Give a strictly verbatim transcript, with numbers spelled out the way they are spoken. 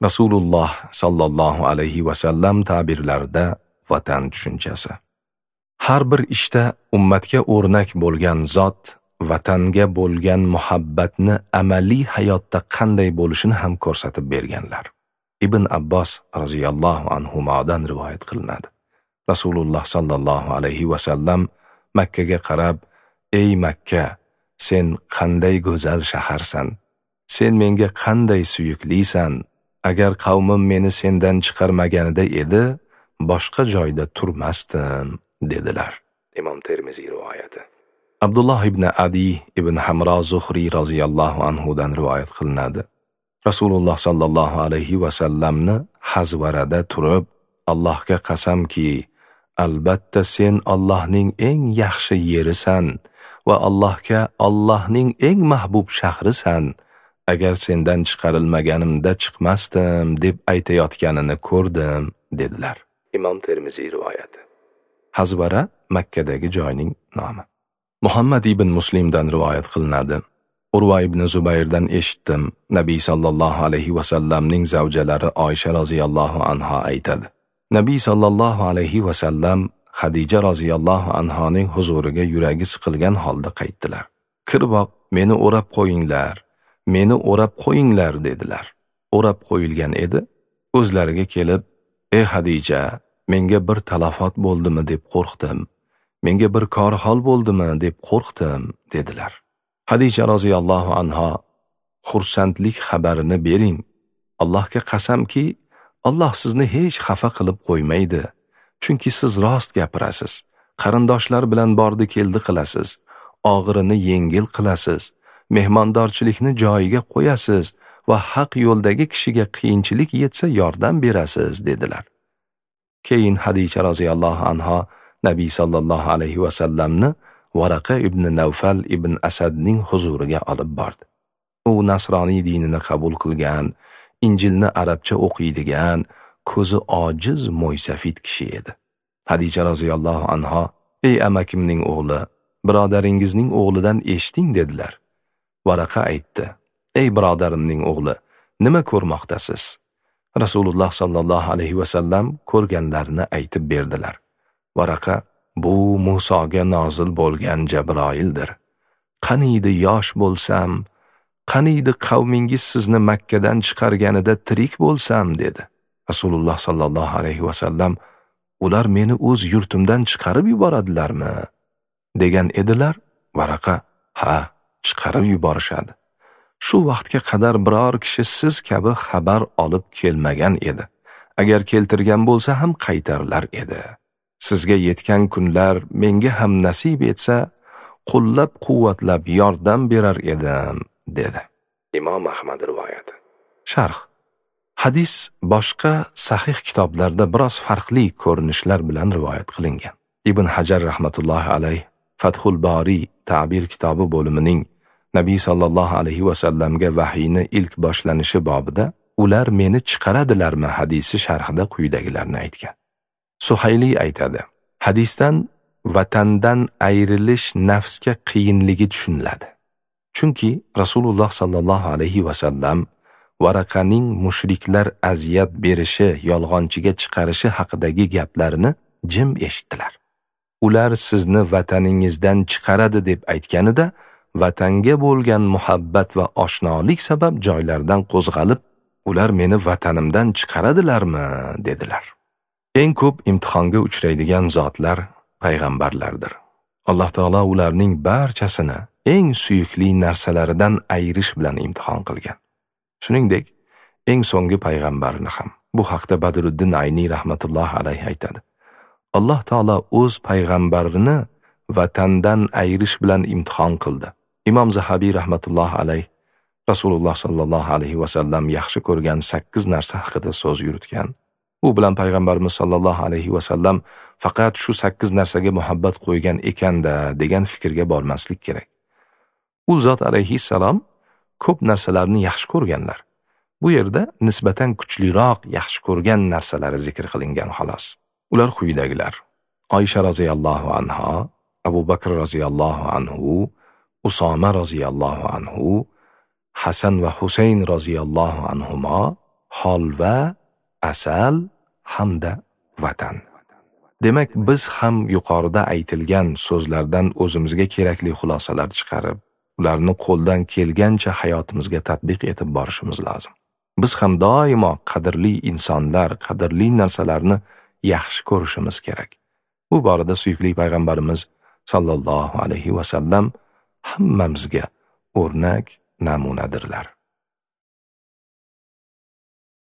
Rasululloh sallallohu alayhi va sallam ta'birlarida vatan tushunchasi. Har bir ishda ummatga o'rnak bo'lgan zot vatanga bo'lgan muhabbatni amaliy hayotda qanday bo'lishini ham ko'rsatib berganlar. Ibn Abbos roziyallohu anhumodan rivoyat qilinadi. Rasululloh sallallohu alayhi va sallam Makkaga qarab, "Ey Makka, sen qanday go'zal shaharsan! Sen menga qanday suyuklisan! Agar qavmim meni sendan chiqarmaganida edi, boshqa joyda turmasdim" dedilar. Imom Termiziy rivoyati. Abdulloh ibn Adi ibn Hamro Zuhriy roziyallohu anhu dan rivoyat qilinadi. Rasululloh sallallohu alayhi va sallamni Hazvarada turib, Allohga qasamki, albatta sen Allohning eng yaxshi yerisan va Allohga Allohning eng mahbub shahrisan. Agar sendan chiqarilmaganimda chiqmasdim deb aytayotganini ko'rdim dedilar. Imom Termiziy rivoyati. Hazvara Makkadagi joyning nomi. Muhammad ibn Muslimdan rivoyat qilinadi. Urva ibn Zubayrdan eshitdim. Nabiy sallallohu alayhi va sallamning zavjalari Oysha roziyallohu anha aytadi. Nabiy sallallohu alayhi va sallam Xadija roziyallohu anhoning huzuriga yuragi siqilgan holda qaytdilar. Kirboq, meni o'rab qo'yinglar, meni o'rab qo'yinglar dedilar. O'rab qo'yilgan edi. O'zlariga kelib, "Ey Xadija, menga bir talafot bo'ldimi deb qo'rqdim. Menga bir korhol bo'ldimi deb qo'rqdim" dedilar. Xadija roziyallohu anha, "Xursandlik xabarini bering. Allohga qasamki, Alloh sizni hech xafa qilib qo'ymaydi. Chunki siz rost gapirasiz, qarindoshlar bilan bordi keldi qilasiz, og'irini yengil qilasiz, mehmondorchilikni joyiga qo'yasiz va haq yo'ldagi kishiga qiyinchilik yetsa yordam berasiz" dedilar. Keyin Xadija roziyallohu anha Nabiy sallallohu alayhi va sallamni Varaqa ibn Navfal ibn Asadning huzuriga olib bordi. U nasroniy dinini qabul qilgan, Injilni arabcha o'qiydigan, ko'zi ojiz mo'ysafid kishi edi. Xadija roziyallohu anha, "Ey amakimning o'g'li, birodaringizning o'g'lidan eshiting" dedilar. Varaqa aytdi, "Ey birodarimning o'g'li, nima ko'rmoqdasiz?" Rasululloh sallallohu alayhi va sallam ko'rganlarini aytib berdilar. Varaqa, "Bu Musoga nozil bo'lgan Jabroildir. Qaniydi yosh bo'lsam, qaniydi qavmingiz sizni Makkadan chiqarganida tirik bo'lsam" dedi. Rasululloh sallallohu alayhi va sallam, "Ular meni o'z yurtimdan chiqarib yuboradilarmi?" degan edilar. Varaqa, "Ha, chiqarib yuborishadi. Shu vaqtga qadar biror kishi siz kabi xabar olib kelmagan edi. Agar keltirgan bo'lsa ham qaytarilar edi. Sizga yetgan kunlar menga ham nasib etsa, qo'llab-quvvatlab yordam berar edim" dedi. Imom Ahmad rivoyati. Sharh. Hadis boshqa sahih kitoblarda biroz farqli ko'rinishlar bilan rivoyat qilingan. Ibn Hajar rahmatullohi alayh Fathul Bori ta'bir kitobi bo'limining Nabiy sallallohu alayhi va sallamga vahiyni ilk boshlanishi bobida ular meni chiqaradilarmi hadisi sharhida quyidagilarni aytgan. Suhayli aytadi, hadisdan vatandan ayrilish nafsga qiyinligi tushuniladi. Chunki Rasululloh sallallohu alayhi va sallam Varaqaning mushriklar aziyat berishi, yolg'onchiga chiqarishi haqidagi gaplarini jim eshitdilar. Ular sizni vataningizdan chiqaradi deb aytganida, vatanga bo'lgan muhabbat va oshnolik sabab joylardan qo'zg'alib, ular meni vatanimdan chiqaradilarmi dedilar. Eng ko'p imtihonga uchraydigan zotlar payg'ambarlardir. Alloh taolo ularning barchasini eng suyukli narsalaridan ayirish bilan imtihon qilgan. Shuningdek, eng so'nggi payg'ambarni ham. Bu haqda Badruddin Ayni rahmatullohi alayhi aytadi. Alloh taolo o'z payg'ambarini vatandan ayirish bilan imtihon qildi. Imom Zahabiy rahmatullohi alayhi Rasululloh sallallohu alayhi va sallam yaxshi ko'rgan sakkiz narsa haqida so'z yuritgan. Bu bilan payg'ambarimiz sallallohu alayhi va sallam faqat shu sakkiz narsaga muhabbat qo'ygan ekanda degan fikrga bormaslik kerak. U zot alayhissalom ko'p narsalarni yaxshi ko'rganlar. Bu yerda nisbatan kuchliroq yaxshi ko'rgan narsalari zikr qilingan xolos. Ular quyidagilar: Oysha roziyallohu anha, Abu Bakr roziyallohu anhu, Usoma roziyallohu anhu, Hasan va Husayn roziyallohu anhuma, holva, asal hamda vatan. Demak, biz ham yuqorida aytilgan so'zlardan o'zimizga kerakli xulosalar chiqarib, ularni qo'ldan kelgancha hayotimizga tatbiq etib borishimiz lozim. Biz ham doimo qadrli insonlar, qadrli narsalarni yaxshi ko'rishimiz kerak. Bu borada suyukli payg'ambarimiz sallallohu alayhi va sallam hammamizga o'rnak namunadirlar.